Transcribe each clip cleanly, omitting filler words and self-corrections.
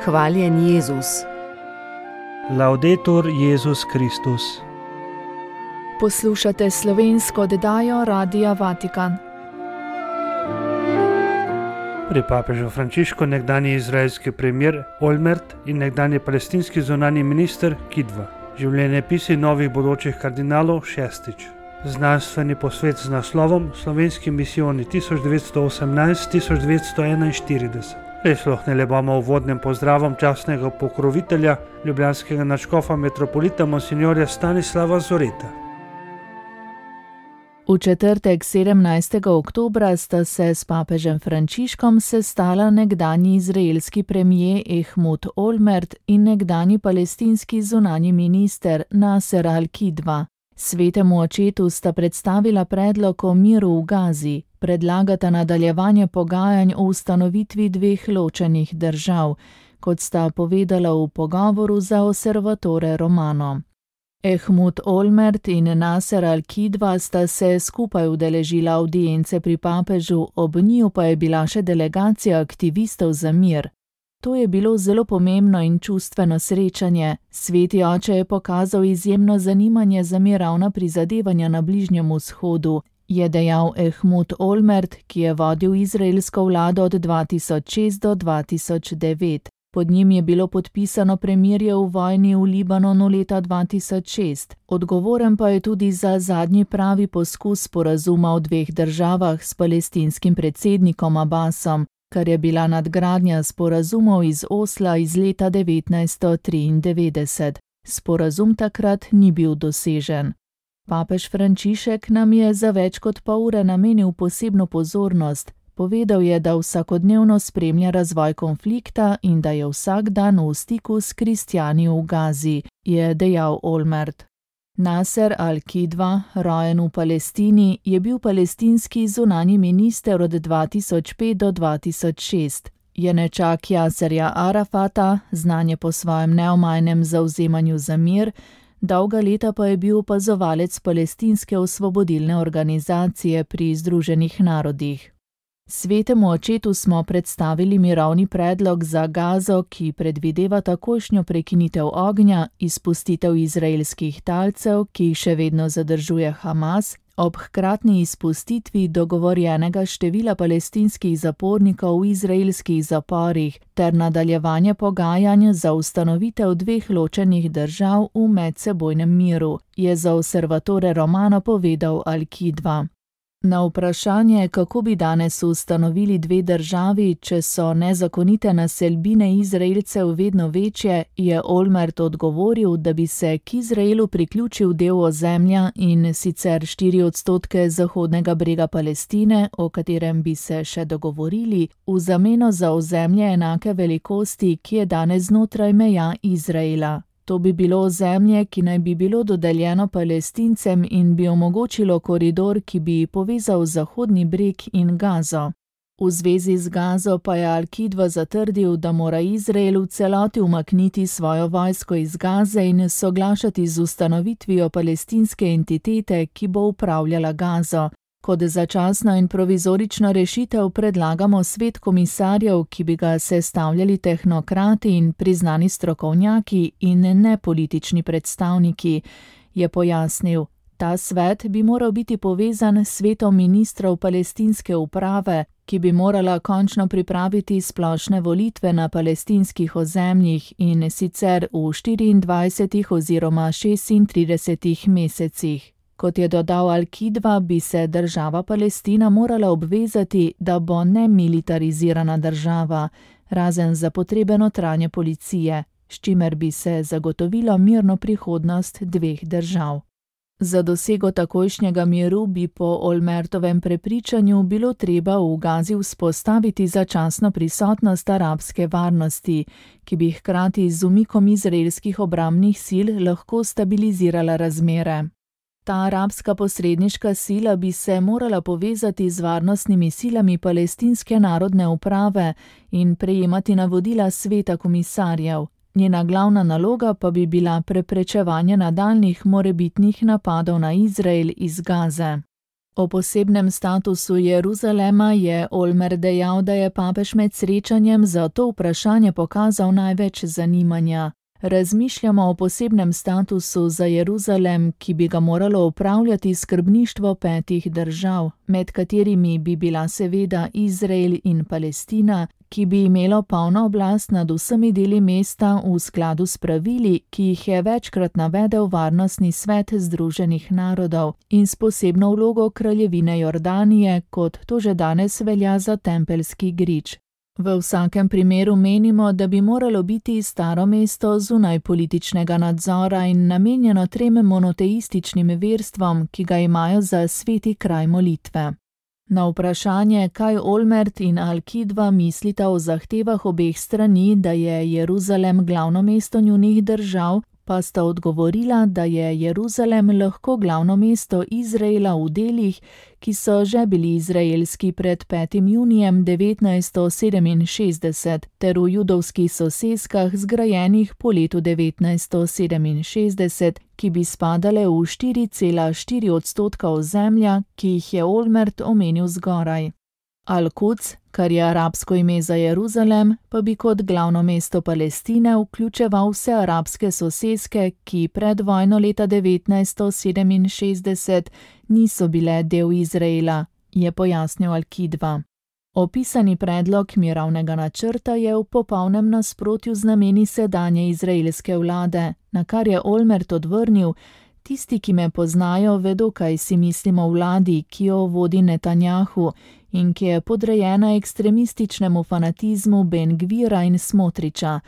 Hvaljen Jezus. Laudetur Jezus Kristus. Poslušate slovensko oddajo Radia Vatikan. Pri papežu Frančišku nekdanji izraelski premier Olmert in nekdanji palestinski zunanji minister Kidva. Življenjepisi novih bodočih kardinalov šestič. Znanstveni posvet z naslovom Slovenski misijoni 1918-1941. Prisluhnili bomo uvodnim pozdravom častnega pokrovitelja ljubljanskega nadškofa metropolita monsinjorja Stanislava Zoreta. V četrtek 17. oktobra sta se s papežem Frančiškom sestala nekdanji izraelski premier Ehud Olmert in nekdanji palestinski zunanji minister Naser al-Kidva. Svetemu očetu sta predstavila predlog o miru v Gazi, predlagata nadaljevanje pogajanj o ustanovitvi dveh ločenih držav, kot sta povedala v pogovoru za Osservatore Romano. Ehud Olmert in Naser al-Kidva sta se skupaj udeležila avdience pri papežu, ob njiju pa je bila še delegacija aktivistov za mir. To je bilo zelo pomembno in čustveno srečanje. Sveti oče je pokazal izjemno zanimanje za mirovna prizadevanja na Bližnjem vzhodu, je dejal Ehud Olmert, ki je vodil izraelsko vlado od 2006 do 2009. Pod njim je bilo podpisano premirje v vojni v Libanonu leta 2006. Odgovoren pa je tudi za zadnji pravi poskus sporazuma o dveh državah s palestinskim predsednikom Abbasom, kar je bila nadgradnja sporazumov iz Osla iz leta 1993. Sporazum takrat ni bil dosežen. Papež Frančišek nam je za več kot pol ure namenil posebno pozornost. Povedal je, da vsakodnevno spremlja razvoj konflikta in da je vsak dan v stiku s kristjani v Gazi, je dejal Olmert. Naser al-Kidva, rojen v Palestini, je bil palestinski zunanji minister od 2005 do 2006. Je nečak Jaserja Arafata, znan je po svojem neomajnem zavzemanju za mir, dolga leta pa je bil opazovalec palestinske osvobodilne organizacije pri Združenih narodih. Svetemu očetu smo predstavili mirovni predlog za Gazo, ki predvideva takojšnjo prekinitev ognja, izpustitev izraelskih talcev, ki jih še vedno zadržuje Hamas, ob hkratni izpustitvi dogovorjenega števila palestinskih zapornikov v izraelskih zaporih ter nadaljevanje pogajanj za ustanovitev dveh ločenih držav v medsebojnem miru, je za Osservatore Romano povedal al-Kidva. Na vprašanje, kako bi danes ustanovili dve državi, če so nezakonite naselbine Izraelcev vedno večje, je Olmert odgovoril, da bi se k Izraelu priključil del ozemlja in sicer 4% zahodnega brega Palestine, o katerem bi se še dogovorili, v zameno za ozemlje enake velikosti, ki je danes znotraj meja Izraela. To bi bilo ozemlje, ki naj bi bilo dodeljeno Palestincem in bi omogočilo koridor, ki bi povezal Zahodni breg in Gazo. V zvezi z Gazo pa je al-Kidva zatrdil, da mora Izrael v celoti umakniti svojo vojsko iz Gaze in soglašati z ustanovitvijo palestinske entitete, ki bo upravljala Gazo. Kot začasno in provizorično rešitev predlagamo svet komisarjev, ki bi ga sestavljali tehnokrati in priznani strokovnjaki in ne politični predstavniki, je pojasnil. Ta svet bi moral biti povezan s svetom ministrov palestinske uprave, ki bi morala končno pripraviti splošne volitve na palestinskih ozemljih in sicer v 24 oziroma 36 mesecih. Kot je dodal al-Kidva, bi se država Palestina morala obvezati, da bo nemilitarizirana država, razen za potrebe notranje policije, s čimer bi se zagotovilo mirno prihodnost dveh držav. Za dosego takojšnjega miru bi po Olmertovem prepričanju bilo treba v Gazi vzpostaviti začasno prisotnost arabske varnosti, ki bi hkrati z umikom izraelskih obrambnih sil lahko stabilizirala razmere. Ta arabska posredniška sila bi se morala povezati z varnostnimi silami palestinske narodne uprave in prejemati navodila sveta komisarjev. Njena glavna naloga pa bi bila preprečevanje nadaljnjih morebitnih napadov na Izrael iz Gaze. O posebnem statusu Jeruzalema je Olmert dejal, da je papež med srečanjem za to vprašanje pokazal največ zanimanja. Razmišljamo o posebnem statusu za Jeruzalem, ki bi ga moralo upravljati skrbništvo 5 držav, med katerimi bi bila seveda Izrael in Palestina, ki bi imelo polno oblast nad vsemi deli mesta v skladu s pravili, ki jih je večkrat navedel Varnostni svet Združenih narodov in s posebno vlogo kraljevine Jordanije, kot to že danes velja za Tempeljski grič. V vsakem primeru menimo, da bi moralo biti staro mesto zunaj političnega nadzora in namenjeno 3 monoteističnim verstvom, ki ga imajo za sveti kraj molitve. Na vprašanje, kaj Olmert in Al-Kidva mislita o zahtevah obeh strani, da je Jeruzalem glavno mesto njunih držav, pa sta odgovorila, da je Jeruzalem lahko glavno mesto Izraela v delih, ki so že bili izraelski pred 5. junijem 1967, ter v judovskih soseskah zgrajenih po letu 1967, ki bi spadale v 4,4% ozemlja, ki jih je Olmert omenil zgoraj. Al-Quds, kar je arabsko ime za Jeruzalem, pa bi kot glavno mesto Palestine vključeval vse arabske soseske, ki pred vojno leta 1967 niso bile del Izraela, je pojasnil Al-Kidva. Opisani predlog mirovnega načrta je v popolnem nasprotju z nameni sedanje izraelske vlade, na kar je Olmert odvrnil: tisti, ki me poznajo, vedo, kaj si mislim o vladi, ki jo vodi Netanjahu in ki je podrejena ekstremističnemu fanatizmu Ben Gvira in Smotriča.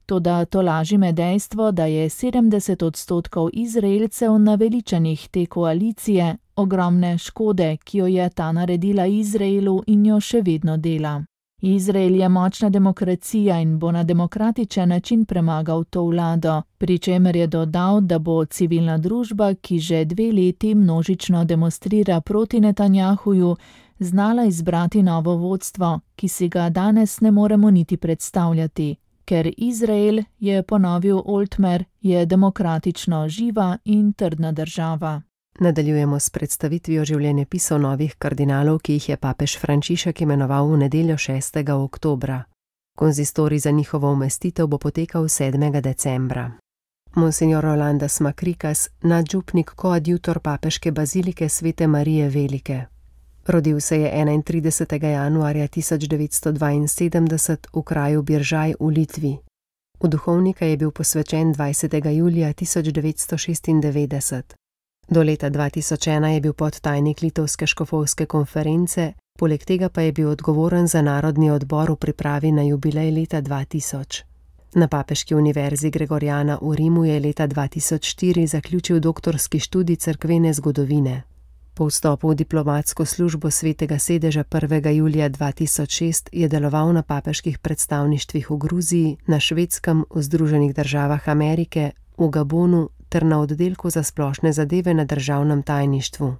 Toda tolaži me dejstvo, da je 70% Izraelcev naveličanih te koalicije, ogromne škode, ki jo je ta naredila Izraelu in jo še vedno dela. Izrael je močna demokracija in bo na demokratičen način premagal to vlado, pri čemer je dodal, da bo civilna družba, ki že 2 leti množično demonstrira proti Netanjahuju, znala izbrati novo vodstvo, ki si ga danes ne moremo niti predstavljati. Ker Izrael, je ponovil Oltmer, je demokratično živa in trdna država. Nadaljujemo s predstavitvijo življenjepisov novih kardinalov, ki jih je papež Frančišek imenoval v nedeljo 6. oktobra. Konzistorij za njihovo umestitev bo potekal 7. decembra. Monsignor Rolandas Makrikas, nadžupnik koadjutor papeške bazilike Svete Marije Velike. Rodil se je 31. januarja 1972 v kraju Biržaj v Litvi. V duhovnika je bil posvečen 20. julija 1996. Do leta 2001 je bil podtajnik Litovske škofovske konference, poleg tega pa je bil odgovoren za narodni odbor v pripravi na jubilej leta 2000. Na Papeški univerzi Gregoriana v Rimu je leta 2004 zaključil doktorski študij cerkvene zgodovine. Po vstopu v diplomatsko službo Svetega sedeža 1. julija 2006 je deloval na papeških predstavništvih v Gruziji, na Švedskem, v Združenih državah Amerike, v Gabonu ter na oddelku za splošne zadeve na državnem tajništvu.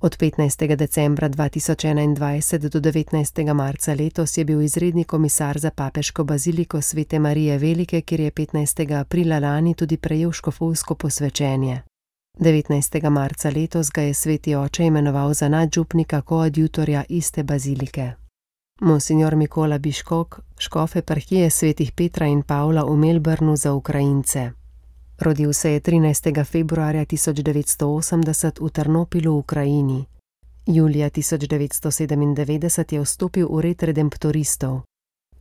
Od 15. decembra 2021 do 19. marca letos je bil izredni komisar za papeško baziliko Svete Marije Velike, kjer je 15. aprila lani tudi prejel škofovsko posvečenje. 19. marca letos ga je sveti oče imenoval za nadžupnika koadjutorja iste bazilike. Monsignor Mikola Biškok, škof eparhije svetih Petra in Pavla v Melbourneu za Ukrajince. Rodil se je 13. februarja 1980 v Ternopilu v Ukrajini. Julija 1997 je vstopil v red redemptoristov.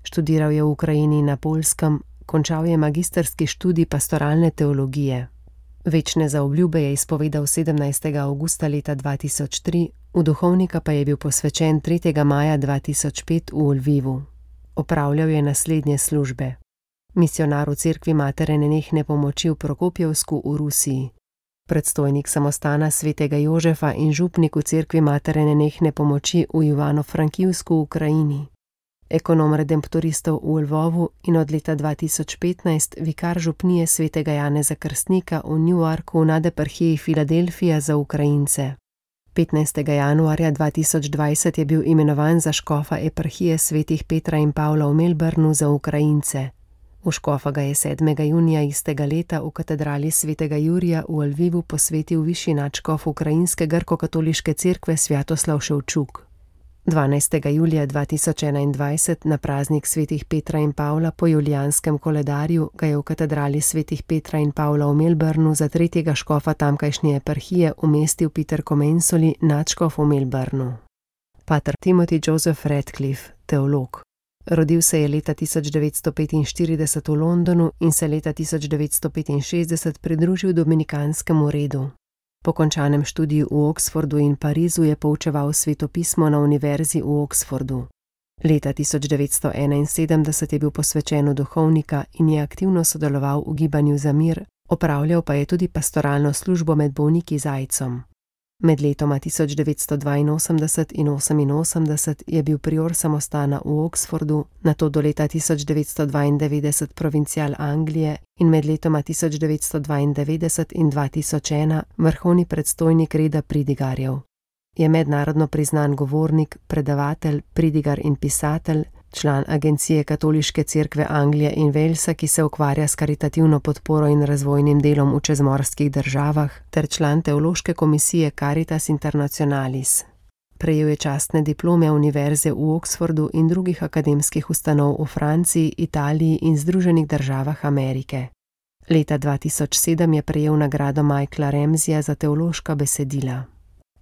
Študiral je v Ukrajini in na Poljskem, končal je magistrski študij pastoralne teologije. Večne zaobljube je izpovedal 17. avgusta leta 2003, v duhovnika pa je bil posvečen 3. maja 2005 v Lvivu. Opravljal je naslednje službe. Misionar v cerkvi Matere nenehne pomoči v Prokopjevsku v Rusiji. Predstojnik samostana svetega Jožefa in župnik v cerkvi Matere nenehne pomoči v Ivano-Frankivsku v Ukrajini. Ekonom redemptoristov v Lvovu in od leta 2015 vikar župnije svetega Janeza Krstnika v Newarku v nadeparhiji Filadelfija za Ukrajince. 15. januarja 2020 je bil imenovan za škofa eparhije svetih Petra in Pavla v Melbourneu za Ukrajince. V škofa ga je 7. junija istega leta v katedrali svetega Jurija v Lvivu posvetil višji nadškof ukrajinske grko-katoliške cerkve Svjatoslav Ševčuk. 12. julija 2021 na praznik svetih Petra in Pavla po julijanskem koledarju ga je v katedrali svetih Petra in Pavla v Melbournu za tretjega škofa tamkajšnje eparhije umestil Peter Comensoli, nadškof v Melbournu. Pater Timothy Joseph Radcliffe, teolog. Rodil se je leta 1945 v Londonu in se leta 1965 pridružil dominikanskemu redu. Po končanem študiju v Oxfordu in Parizu je poučeval svetopismo na univerzi v Oxfordu. Leta 1971 je bil posvečen v duhovnika in je aktivno sodeloval v gibanju za mir, opravljal pa je tudi pastoralno službo med bolniki z aidsom. Med letoma 1982 in 1988 je bil prior samostana v Oxfordu, nato do leta 1992 provincial Anglije in med letoma 1992 in 2001 vrhovni predstojnik reda pridigarjev. Je mednarodno priznan govornik, predavatelj, pridigar in pisatelj, član Agencije Katoliške cerkve Anglije in Walesa, ki se ukvarja s karitativno podporo in razvojnim delom v čezmorskih državah, ter član teološke komisije Caritas Internationalis. Prejel je častne diplome univerze v Oxfordu in drugih akademskih ustanov v Franciji, Italiji in Združenih državah Amerike. Leta 2007 je prejel nagrado Michaela Ramseyja za teološka besedila.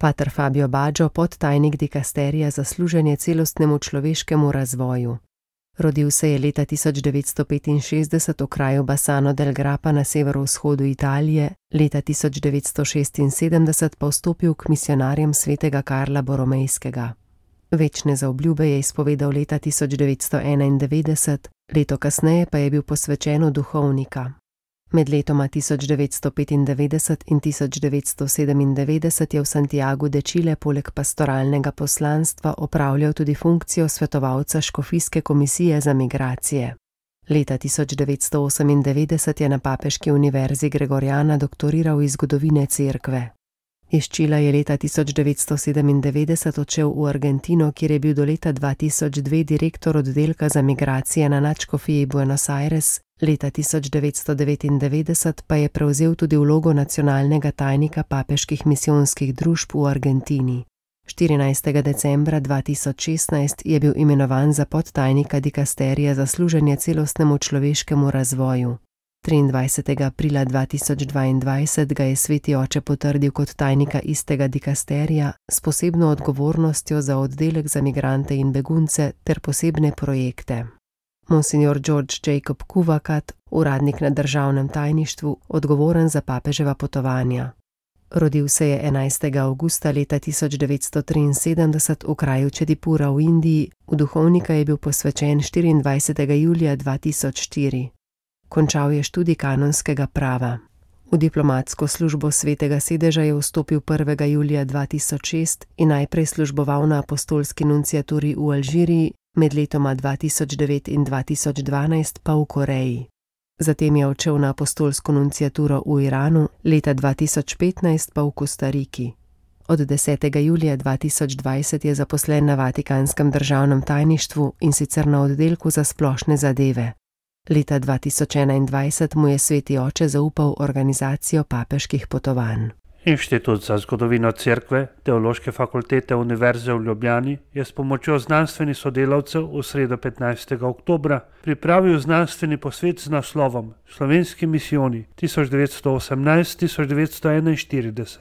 Pater Fabio Baggio, podtajnik dikasterija za služenje celostnemu človeškemu razvoju. Rodil se je leta 1965 v kraju Bassano del Grappa na severovzhodu Italije, leta 1976 pa vstopil k misionarjem svetega Karla Boromejskega. Večne zaobljube je izpovedal leta 1991, leto kasneje pa je bil posvečen v duhovnika. Med letoma 1995 in 1997 je v Santiagu de Chile poleg pastoralnega poslanstva opravljal tudi funkcijo svetovalca škofijske komisije za migracije. Leta 1998 je na Papeški univerzi Gregoriana doktoriral iz zgodovine cerkve. Iz Čila je leta 1997 odšel v Argentino, kjer je bil do leta 2002 direktor oddelka za migracije na nadškofiji Buenos Aires, leta 1999 pa je prevzel tudi vlogo nacionalnega tajnika papeških misijonskih družb v Argentini. 14. decembra 2016 je bil imenovan za podtajnika dikasterija za služenje celostnemu človeškemu razvoju. 23. aprila 2022 ga je sveti oče potrdil kot tajnika istega dikasterija s posebno odgovornostjo za oddelek za migrante in begunce ter posebne projekte. Monsignor George Jacob Kuvakat, uradnik na državnem tajništvu, odgovoren za papeževa potovanja. Rodil se je 11. avgusta leta 1973 v kraju Čedipura v Indiji, v duhovnika je bil posvečen 24. julija 2004. Končal je študij kanonskega prava. V diplomatsko službo Svetega sedeža je vstopil 1. julija 2006 in najprej služboval na apostolski nunciaturi v Alžiriji, med letoma 2009 in 2012 pa v Koreji. Zatem je odšel na apostolsko nunciaturo v Iranu, leta 2015 pa v Kostariki. Od 10. julija 2020 je zaposlen na Vatikanskem državnem tajništvu in sicer na oddelku za splošne zadeve. Leta 2021 mu je sveti oče zaupal organizacijo papeških potovanj. Inštitut za zgodovino cerkve Teološke fakultete Univerze v Ljubljani je s pomočjo znanstvenih sodelavcev v sredo 15. oktobra pripravil znanstveni posvet z naslovom Slovenski misijoni 1918-1941.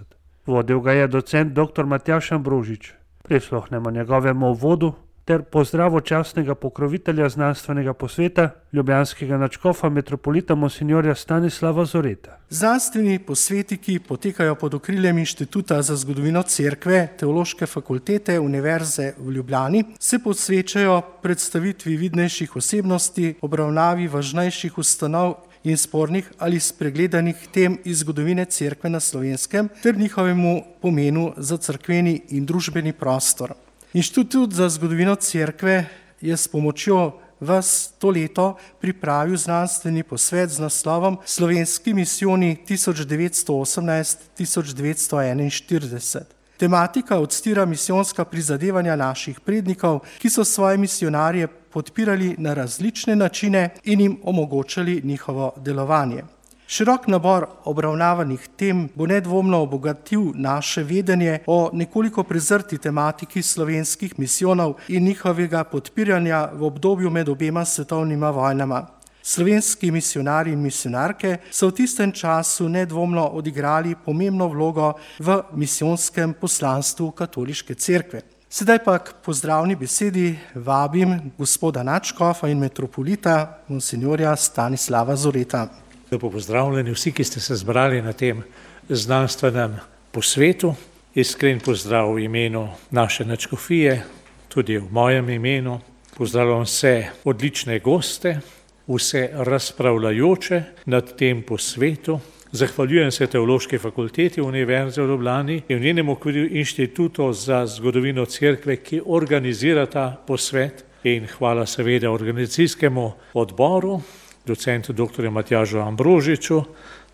Vodil ga je docent dr. Matjaž Ambrožič. Prisluhnemo njegovemu uvodu ter pozdravu častnega pokrovitelja znanstvenega posveta, ljubljanskega nadškofa metropolita monsinjorja Stanislava Zoreta. Znanstveni posveti, ki potekajo pod okriljem Inštituta za zgodovino cerkve Teološke fakultete Univerze v Ljubljani, se posvečajo predstavitvi vidnejših osebnosti, obravnavi važnejših ustanov in spornih ali spregledanih tem iz zgodovine cerkve na Slovenskem ter njihovemu pomenu za cerkveni in družbeni prostor. Inštitut za zgodovino cerkve je s pomočjo vas to leto pripravil znanstveni posvet z naslovom Slovenski misijoni 1918-1941. Tematika odstira misijonska prizadevanja naših prednikov, ki so svoje misionarje podpirali na različne načine in jim omogočali njihovo delovanje. Širok nabor obravnavanih tem bo nedvomno obogatil naše vedenje o nekoliko prezrti tematiki slovenskih misijonov in njihovega podpiranja v obdobju med obema svetovnima vojnama. Slovenski misijonarji in misijonarke so v tistem času nedvomno odigrali pomembno vlogo v misijonskem poslanstvu katoliške cerkve. Sedaj pa k pozdravni besedi vabim gospoda nadškofa in metropolita monsinjorja Stanislava Zoreta. Lepo pozdravljeni vsi, ki ste se zbrali na tem znanstvenem posvetu. Iskren pozdrav v imenu naše nadškofije, tudi v mojem imenu. Pozdravljam vse odlične goste, vse razpravljajoče nad tem posvetu. Zahvaljujem se Teološki fakulteti Univerze v Ljubljani in v njenem okviru Inštitutu za zgodovino cerkve, ki organizira ta posvet, in hvala seveda organizacijskemu odboru, docentu dr. Matjažu Ambrožiču,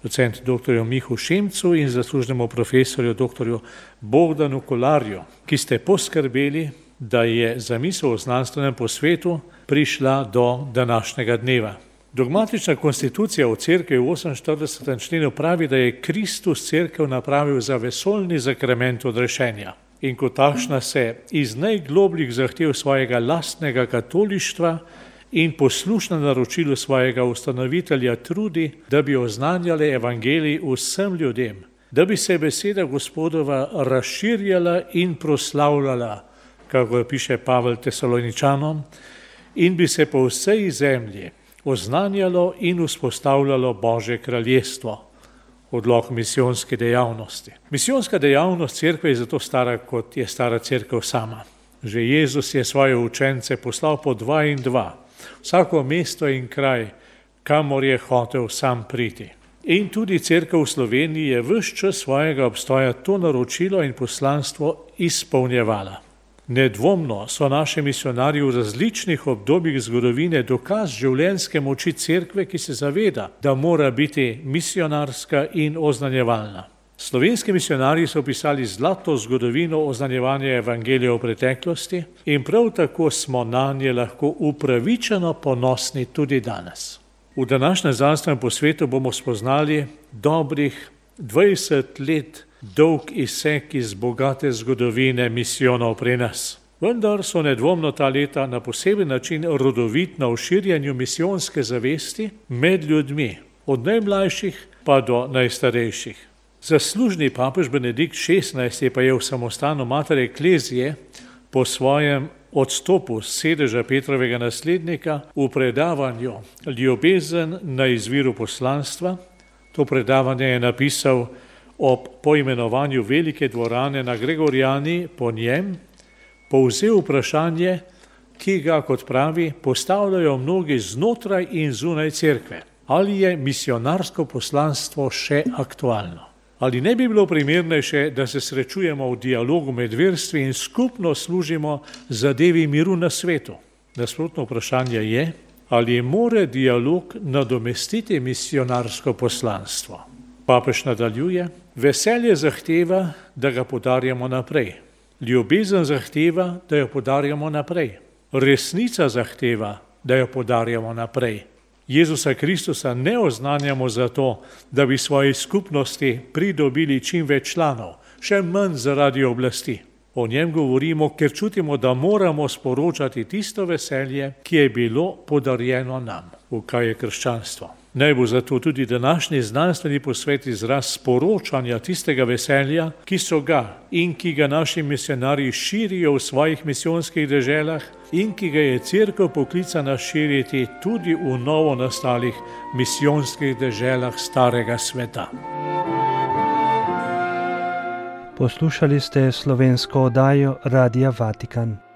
docentu dr. Mihu Šimcu in zaslužnemu profesorju dr. Bogdanu Kolarju, ki ste poskrbeli, da je zamisel o znanstvenem posvetu prišla do današnjega dneva. Dogmatična konstitucija v cerkvi v 48. členu pravi, da je Kristus cerkev napravil za vesoljni zakrament odrešenja in kot takšna se iz najglobljih zahtev svojega lastnega katolištva in poslušna naročilu svojega ustanovitelja trudi, da bi oznanjali evangelij vsem ljudem, da bi se beseda Gospodova razširjala in proslavljala, kako piše Pavel Tesaloničanom, in bi se po vsej zemlji oznanjalo in vzpostavljalo Božje kraljestvo. Odlok misijonske dejavnosti. Misijonska dejavnost cerkve je zato stara, kot je stara cerkev sama. Že Jezus je svoje učence poslal po 2 in 2, vsako mesto in kraj, kamor je hotel sam priti. In tudi cerkev v Sloveniji je ves čas svojega obstoja to naročilo in poslanstvo izpolnjevala. Nedvomno so naši misijonarji v različnih obdobjih zgodovine dokaz življenjske moči cerkve, ki se zaveda, da mora biti misijonarska in oznanjevalna. Slovenski misijonarji so pisali zlato zgodovino oznanjevanja evangelija v preteklosti in prav tako smo nanje lahko upravičeno ponosni tudi danes. V današnjem znanstvenem posvetu bomo spoznali dobrih 20 let dolg izsek iz bogate zgodovine misijonov pri nas. Vendar so nedvomno ta leta na poseben način rodovitna v širjenju misijonske zavesti med ljudmi, od najmlajših pa do najstarejših. Zaslužni papež Benedikt XVI pa je v samostanu Mater Ecclesiae po svojem odstopu s sedeža Petrovega naslednika v predavanju Ljubezen na izviru poslanstva. To predavanje je napisal ob poimenovanju velike dvorane na Gregorjani po njem, povzel vprašanje, ki ga, kot pravi, postavljajo mnogi znotraj in zunaj cerkve. Ali je misionarsko poslanstvo še aktualno? Ali ne bi bilo primernejše, da se srečujemo v dialogu med verstvi in skupno služimo zadevi miru na svetu? Nasprotno vprašanje je, ali more dialog nadomestiti misionarsko poslanstvo? Papež nadaljuje, veselje zahteva, da ga podarjamo naprej. Ljubezen zahteva, da jo podarjamo naprej. Resnica zahteva, da jo podarjamo naprej. Jezusa Kristusa ne oznanjamo zato, da bi svoji skupnosti pridobili čim več članov, še manj zaradi oblasti. O njem govorimo, ker čutimo, da moramo sporočati tisto veselje, ki je bilo podarjeno nam. V kaj je krščanstvo? Naj bo zato tudi današnji znanstveni posvet izraz sporočanja tistega veselja, ki so ga in ki ga naši misionarji širijo v svojih misijonskih deželah in ki ga je cerkev poklicana širiti tudi v novo nastalih misijonskih deželah starega sveta. Poslušali ste slovensko oddajo Radia Vatikan.